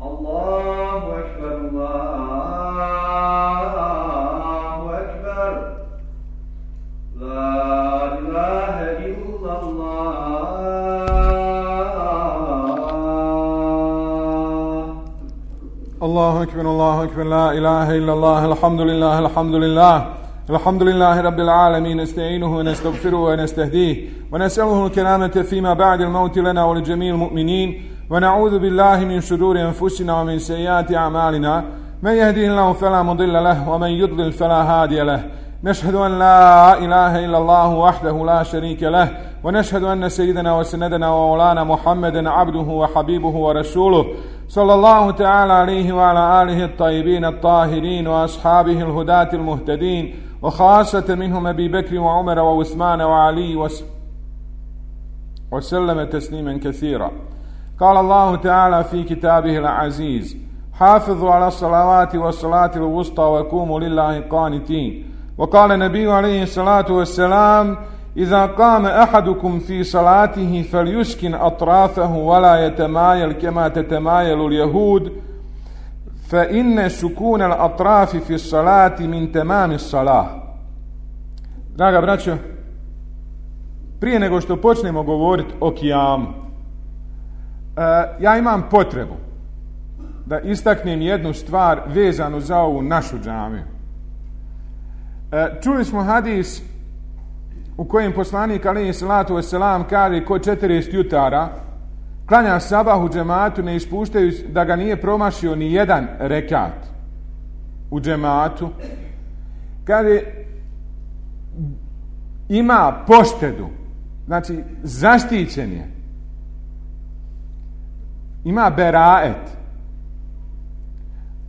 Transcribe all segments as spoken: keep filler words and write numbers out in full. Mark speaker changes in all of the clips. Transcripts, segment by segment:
Speaker 1: Allahu ekber, Allahu ekber. La ilahe illallah.
Speaker 2: Allahu ekber, Allahu ekber, la ilahe illallah, alhamdulillah, alhamdulillah. الحمد لله رب العالمين نستعينه ونستغفره ونستهديه ونسأله الكرامة فيما بعد الموت لنا ولجميع المؤمنين ونعوذ بالله من شرور أنفسنا ومن سيئات أعمالنا من يهده الله فلا مضل له ومن يضلل فلا هادي له نشهد أن لا إله إلا الله وحده لا شريك له ونشهد أن سيدنا وسندنا ومولانا محمدا عبده وحبيبه ورسوله صلى الله تعالى عليه وعلى آله الطيبين الطاهرين وأصحابه الهداة المهتدين وخاصة منهم أبي بكر وعمر وعثمان وعلي وسلم تسليما كثيرا. قال الله تعالى في كتابه العزيز حافظوا على الصلوات والصلاة الوسطى وقوموا لله قانتين. وقال النبي عليه الصلاة والسلام إذا قام أحدكم في صلاته فليسكن أطرافه ولا يتمايل كما تتمايل اليهود فإن سكون الأطراف في الصلاة من تمام الصلاة. Draga braćo, prije nego što počnemo govoriti o kijamu, ja imam potrebu da istaknem jednu stvar vezanu za ovu našu džamiju. Čuli smo hadis u kojem poslanik alejhi salatu vesselam kaže ko četrdeset jutara klanja sabah u džematu ne ispuštajući da ga nije promašio ni jedan rekat u džematu, kaže ima poštedu, znači zaštićen je, ima beraet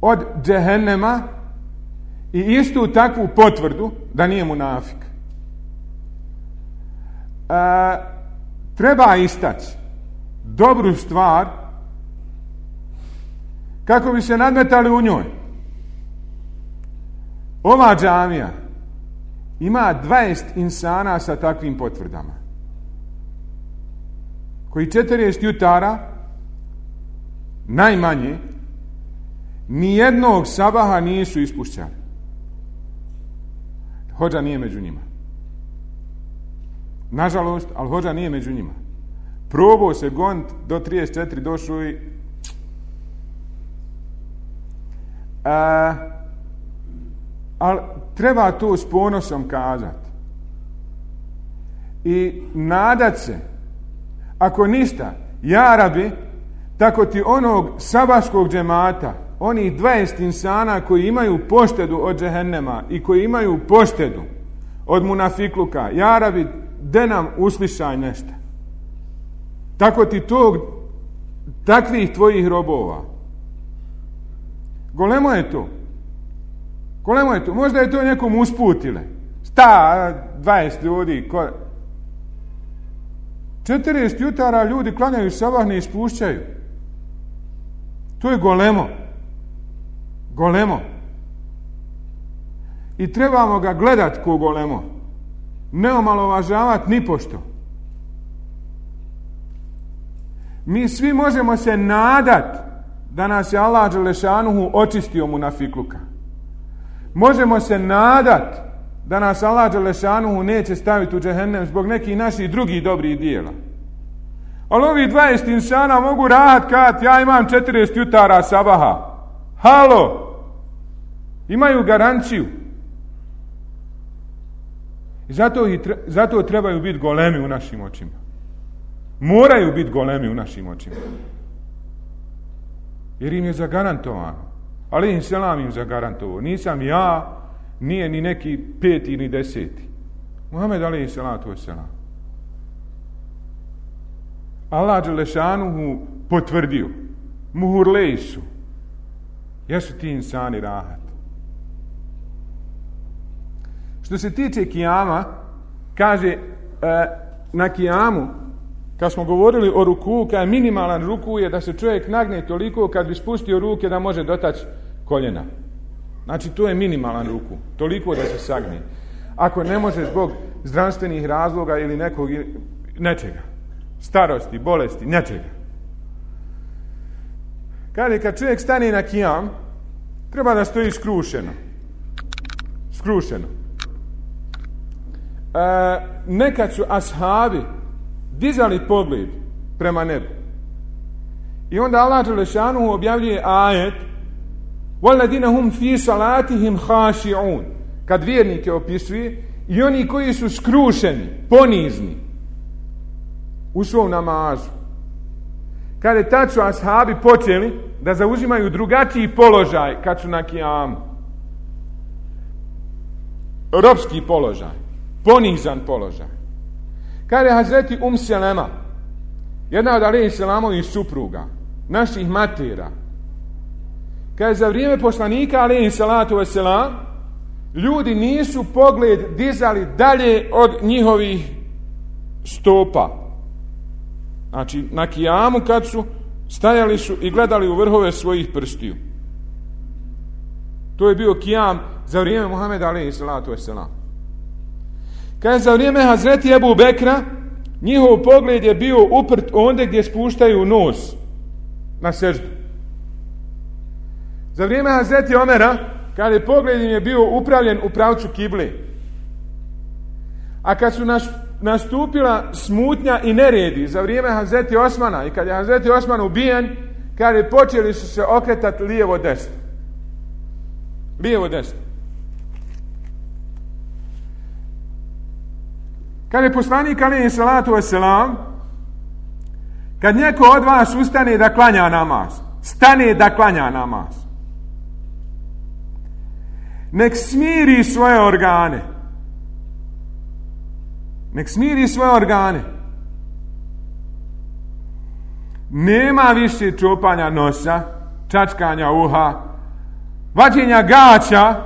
Speaker 2: od džehennema i istu takvu potvrdu da nije munafik. E, treba istaći dobru stvar kako bi se nadmetali u njoj. Ova džamija ima dvadeset insana sa takvim potvrdama koji četrdeset jutara najmanje nijednog sabaha nisu ispušćali. Hodža nije među njima. Nažalost, ali hodža nije među njima. Probao se gonit do trideset četiri, došao i a, ali treba to s ponosom kazati i nadat se, ako ništa, ja rabi, tako ti onog sabaškog džemata, onih dvadeset insana koji imaju poštedu od džehennema i koji imaju poštedu od munafikluka, ja rabi, de nam uslišaj nešto. Tako ti tog, takvih tvojih robova. Golemo je to. Golemo je to. Možda je to nekom usputile. Sta, dvadeset ljudi. Ko... četrdeset jutara ljudi klanjaju sabah, ne ispušćaju. To je golemo. Golemo. I trebamo ga gledat ko golemo. Ne omalovažavati ni pošto. Mi svi možemo se nadat da nas je Allah dželešanuhu očistio munafikluka. Možemo se nadat da nas Allah dželešanuhu neće staviti u džehennem zbog nekih naših drugih dobrih dijela. Ali ovi dvadeset insana mogu rahat kad ja imam četrdeset jutara sabaha. Halo! Imaju garanciju. I zato, zato trebaju biti golemi u našim očima. Moraju biti golemi u našim očima. Jer im je zagarantovano. Ali im selam im zagarantovao. Nisam ja, nije ni neki peti ni deseti. Muhammed alejhi salatu vesselam. Allah dželešanuhu potvrdio. Muhurleji su. Jesu ti insani rahat. Što se tiče kijama, kaže e, na kijamu, kad smo govorili o ruku, kad je minimalan ruku je da se čovjek nagne toliko kad bi spustio ruke da može dotaći koljena. Znači to je minimalan ruku, toliko da se sagne. Ako ne može zbog zdravstvenih razloga ili nekog nečega, starosti, bolesti, nečega. Kaže, kad čovjek stane na kijam, treba da stoji skrušeno. Skrušeno. E, nekad su ashabi dizali pogled prema nebu. I onda Allah dželešanu objavljuje ajet وَالَّذِينَ هُمْ فِي صَلَاتِهِمْ خَاشِعُونَ, kad vjernike opisuje, i oni koji su skrušeni, ponizni u svom namazu. Kad je tad su ashabi počeli da zauzimaju drugačiji položaj kad su na kijamu. Ropski položaj, ponizan položaj. Kad je Hazreti Um Selema, jedna od alejhi selamovih supruga, naših matera, kad je za vrijeme poslanika alejhi salatu vesselam, ljudi nisu pogled dizali dalje od njihovih stopa. Znači, na kijamu kad su stajali su i gledali u vrhove svojih prstiju. To je bio kijam za vrijeme Muhameda alejhi salatu vesselam. Kad je za vrijeme Hazreti Ebu Bekra, njihov pogled je bio uprt onde gdje spuštaju nos na seždu. Za vrijeme Hazreti Omera, kad je pogled im je bio upravljen u pravcu kible. A kad su nastupila smutnja i neredi za vrijeme Hazreti Osmana i kad je Hazreti Osman ubijen, kad je počeli su se okretati lijevo desno. Lijevo desno. Kad je poslanik alejhi salatu vesselam, kad neko od vas ustane da klanja namaz, stane da klanja namaz, nek smiri svoje organe. Nek smiri svoje organe. Nema više čupanja nosa, čačkanja uha, vađenja gaća,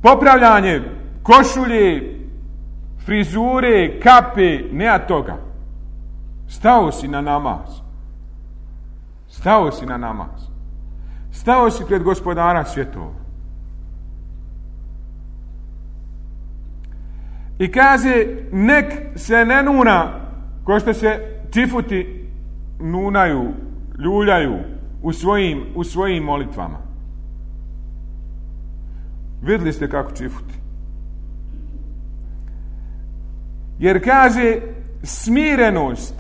Speaker 2: popravljanje košulje, frizure, kape, nema toga. Stao si na namaz. Stao si na namaz. Stao si pred gospodara svjetova. I kaže, nek se ne nuna, ko što se čifuti nunaju, ljuljaju u svojim, u svojim molitvama. Vidjeli ste kako čifuti. Jer kaže, smirenost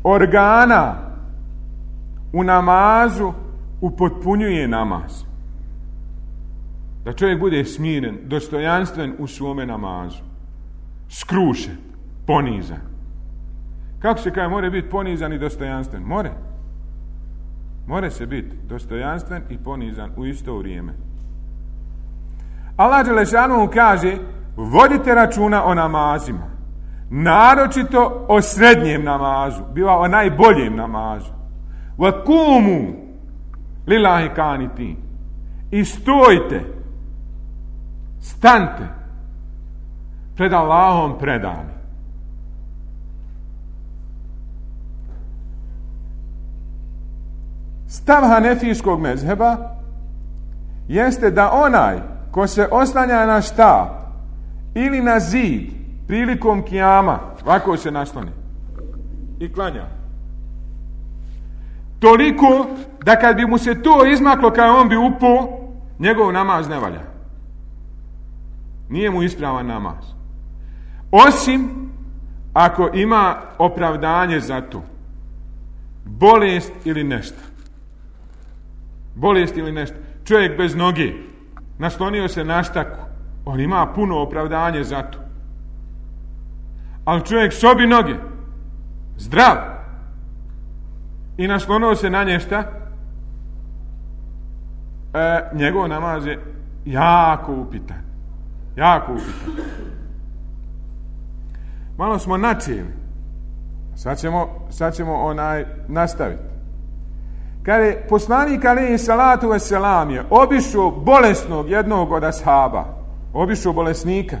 Speaker 2: organa u namazu upotpunjuje namaz. Da čovjek bude smiren, dostojanstven u svome namazu. Skrušen, ponizan. Kako se kaže, more biti ponizan i dostojanstven? More. More se biti dostojanstven i ponizan u isto vrijeme. Allah dželešanu kaže, vodite računa o namazima. Naročito o srednjem namazu. Biva o najboljem namazu. Wa kumu lillahi qanitin. I stojite, stante pred Allahom predani. Stav hanefijskog mezheba jeste da onaj ko se oslanja na štap ili na zid prilikom kijama, ovako se nasloni i klanja, toliko da kad bi mu se to izmaklo kao on bi upao, njegov namaz ne valja. Nije mu ispravan namaz. Osim ako ima opravdanje za to. Bolest ili nešto. Bolest ili nešto. Čovjek bez noge, naslonio se na štaku, on ima puno opravdanje za to. Ali čovjek sobi noge, zdrav, i naslonio se na nješta, e, njegov namaz je jako upitan. Jako upitan. Malo smo načeli. Sad ćemo, sad ćemo onaj nastaviti. Kad je poslanik alejhi salatu vesselam je obišao bolesnog jednog od ashaba, obišao bolesnika.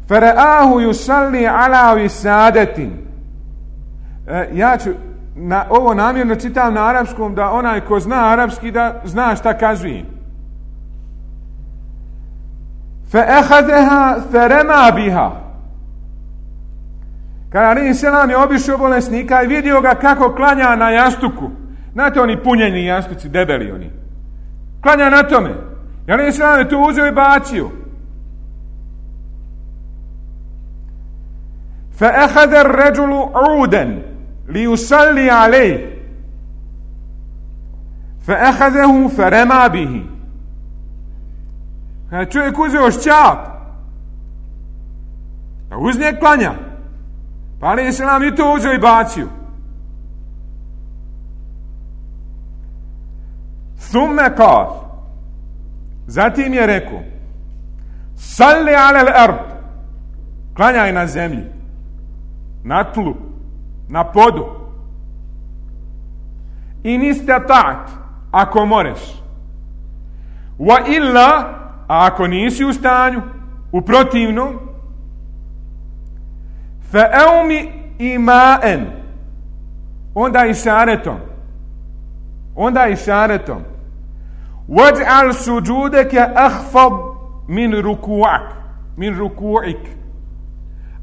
Speaker 2: Faraahu yusalli ala wisadetin. E, ja ću na, ovo namjerno čitam na arapskom da onaj ko zna arapski da zna šta kazuje. Fa akhadha farama biha. Kada alejhi selam je obišao bolesnika i vidio ga kako klanja na jastuku. Znate oni punjeni jastuci, debeli oni. Klanja na tome. I alejhi selam je to uzeo i bacio. فَأَخَذَ الرَّجُلُ عُودًا لِيُصَلِّ عَلَيْهِ فَأَخَذَهُ فَرَمَى بِهِ. Kada je čovjek uzeo šćap, pa uz njeg klanja, pa alejhi selam i to uzeo i bacio. ثُمَّ قَالَ, zatim je rekao, salli ala al-ard, klanjaj na zemlji, na tlu, na podu. In istata'at, ako moreš. Wa illa, a ako nisi u stanju, u protivnom, fa eumi ima'en, onda išaretom, onda išaretom, waj'al sujudaka akhfad min ruku'ak, min ruku'ik.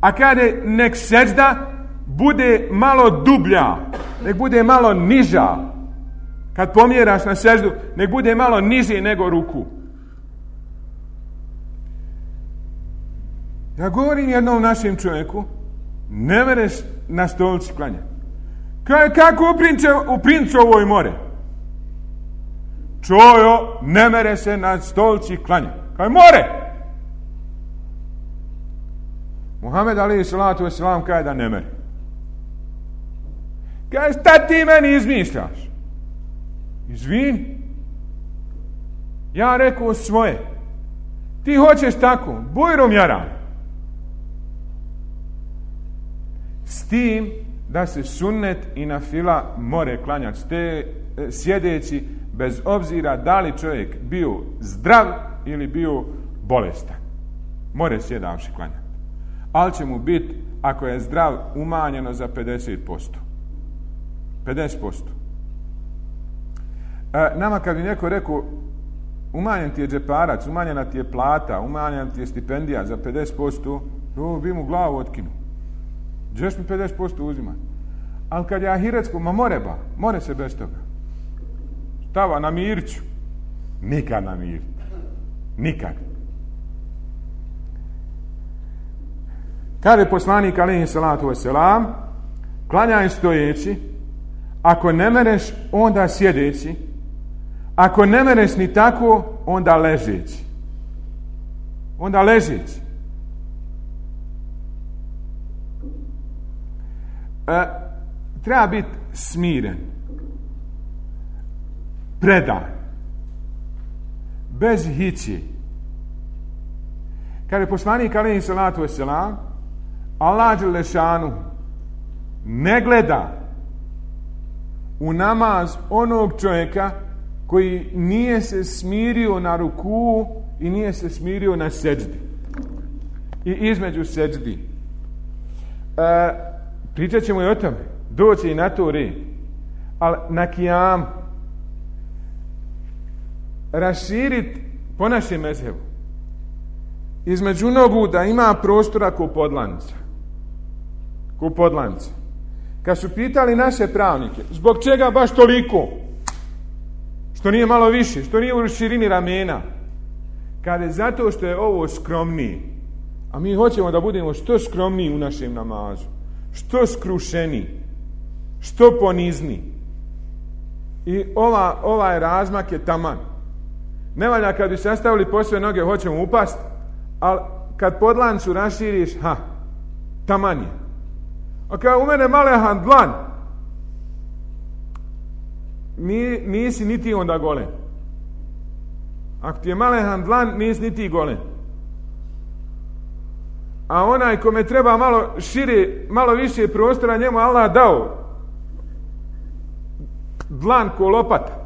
Speaker 2: A kada nek sežda bude malo dublja, nek bude malo niža, kad pomjeraš na seždu, nek bude malo niže nego ruku. Ja govorim jednom našem čovjeku, ne mereš na stolici klanjati. Kaj, kako u, prince, u Princovoj more? Čojo, ne mere se na stolici klanjati. Kaj more? Muhammed alejhi salatu vesselam kaže da ne mere. Kaže, šta ti meni izmišljaš? Izvini. Ja rekao svoje. Ti hoćeš tako, bujrom jaran. S tim da se sunnet i nafila more klanjati ste sjedeći, bez obzira da li čovjek bio zdrav ili bio bolestan. More sjedavši klanjati. Ali će mu biti, ako je zdrav, umanjeno za pedeset posto. pedeset posto. E, nama kad bi neko rekao, umanjen ti je džeparac, umanjena ti je plata, umanjena ti je stipendija za pedeset posto, to bi mu glavu otkinuo. Gdješ mi pedeset posto uzimati? Ali kad je ahiretsko, ma more ba, more se bez toga. Stava, namirit ću. Nikad namirit. Nikad. Kaže poslanik alejhi salatu vesselam, klanjaj stojeći, ako ne mereš, onda sjedeći, ako ne mereš ni tako, onda ležeći. Onda ležeći. E, treba biti smiren, predan, bez hići. Kaže poslanik alejhi salatu vesselam, Allah dželešanu ne gleda u namaz onog čovjeka koji nije se smirio na ruku i nije se smirio na seđdi i između seđdi. E, pričat ćemo i o tome, doći i na to red, ali na kijam raširit po našem mezhebu između nogu da ima prostora ko podlanca. Ko podlanca. Kad su pitali naše pravnike, zbog čega baš toliko? Što nije malo više, što nije u širini ramena? Kada je zato što je ovo skromniji. A mi hoćemo da budemo što skromniji u našem namazu. Što skrušeniji. Što ponizniji. I ova, ovaj razmak je taman. Ne valja kad bi sastavili po sve noge, hoćemo upast, ali kad podlancu raširiš, ha, taman je. A kada u mene malehan dlan, ni, nisi niti onda golen. Ako ti je malehan dlan, nisi niti golen. A onaj kome treba malo šire, malo više prostora, njemu Allah dao dlan ko lopata.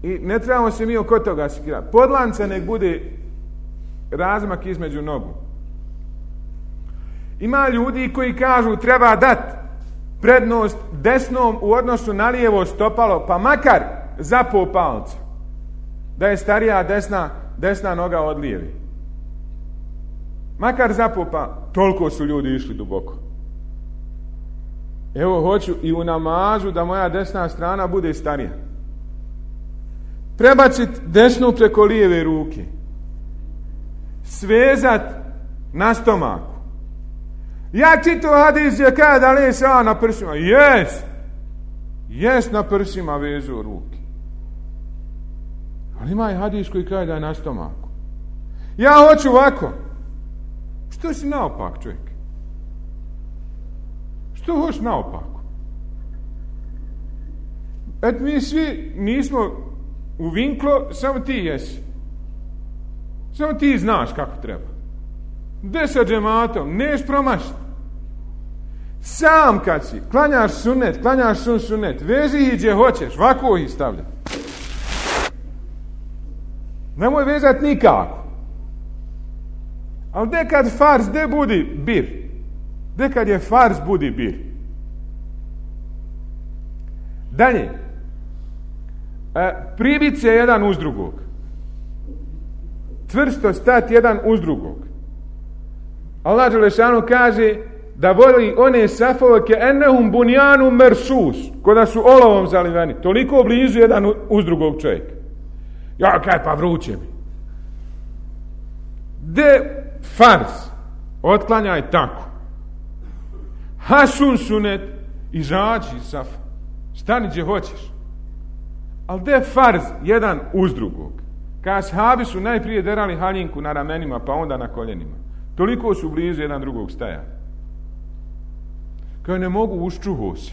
Speaker 2: I ne trebamo se mi oko toga sikirati. Podlanca nek bude razmak između nogu. Ima ljudi koji kažu treba dati prednost desnom u odnosu na lijevo stopalo, pa makar zapao palca, da je starija desna, desna noga od lijeve. Makar zapao palca. toliko su ljudi išli duboko. Evo, hoću i u namazu da moja desna strana bude starija. Prebaciti desnu preko lijeve ruke. Svezat na stomaku. Ja čitao hadis gdje kaže da li se na prsima. Jest. Jest na prsima vezu ruke. Ali ima i hadis koji kaže da je na stomaku. Ja hoću ovako. Što si naopak, čovjek? Što hoćeš naopako? Et mi svi nismo u vinklo, samo ti jesi. Samo ti znaš kako treba. Gde sa džematom? Neš promašiti. Sam kad si, klanjaš sunnet, klanjaš sun sunnet, vezi ih gdje hoćeš, ovako ih stavlja. Nemoj vezati nikako. Ali dekad farz, de budi bir. Dekad je farz, budi bir. Dalje. E, pribit se jedan uz drugog. Čvrsto stati jedan uz drugog. Allah dželešanu kaže da voli one safove ke ennehum bunjanu mersus, koda su olovom zaliveni. Toliko blizu jedan uz drugog čovjeka. Ja, kaj pa vruće mi. De farz, otklanjaj tako. Hasun sunet, izađi iz safa. Stani gdje hoćeš. Ali de farz, jedan uz drugog. Ka ashabi su najprije derali haljinku na ramenima, pa onda na koljenima. Toliko su blizu jedan drugog staja. Kao ne mogu, uščuho se.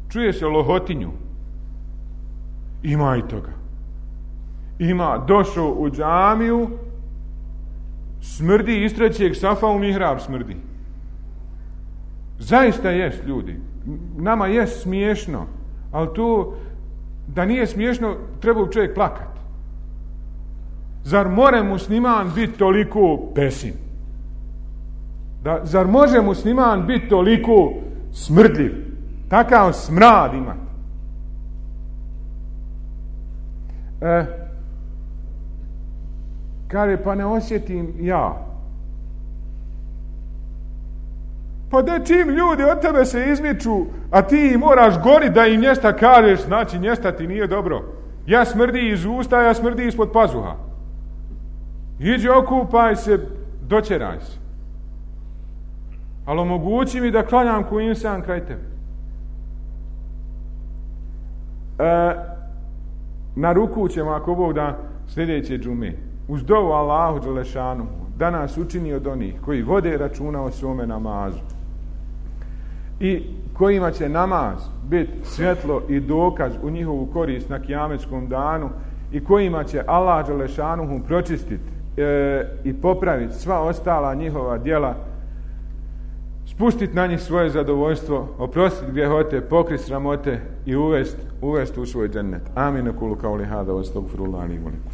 Speaker 2: Čuje se lohotinju. Ima i toga. Ima, došao u džamiju, smrdi iz trećeg safa u mihrab smrdi. Zaista jest, ljudi. Nama jest smiješno, ali tu, da nije smiješno, treba u čovjek plakat. Zar more musliman biti toliko pesin? Da, zar može musliman biti toliko smrdljiv? Takav smrad ima. E, kaže, pa ne osjetim ja. Pa da čim ljudi od tebe se izmiču, a ti moraš gori da im nješta kažeš, znači nješta ti nije dobro. Ja smrdi iz usta, ja smrdi ispod pazuha. Iđi okupaj se, doćeraj se. Ali omogući mi da klanjam ko insan kraj tebe. E, na ruku ćemo, ako Bog da, sljedeće džume. Uz dovu Allahu dželešanu, da nas učini od onih koji vode računa o svome namazu. I kojima će namaz biti svjetlo i dokaz u njihovu korist na kijametskom danu i kojima će Allah dželešanuhu pročistiti e, i popraviti sva ostala njihova djela, spustiti na njih svoje zadovoljstvo, oprostiti grijehote, pokriti sramote i uvesti uvest u svoj džennet. Amin. Kulu kauli hada, astagfirullah li velikum.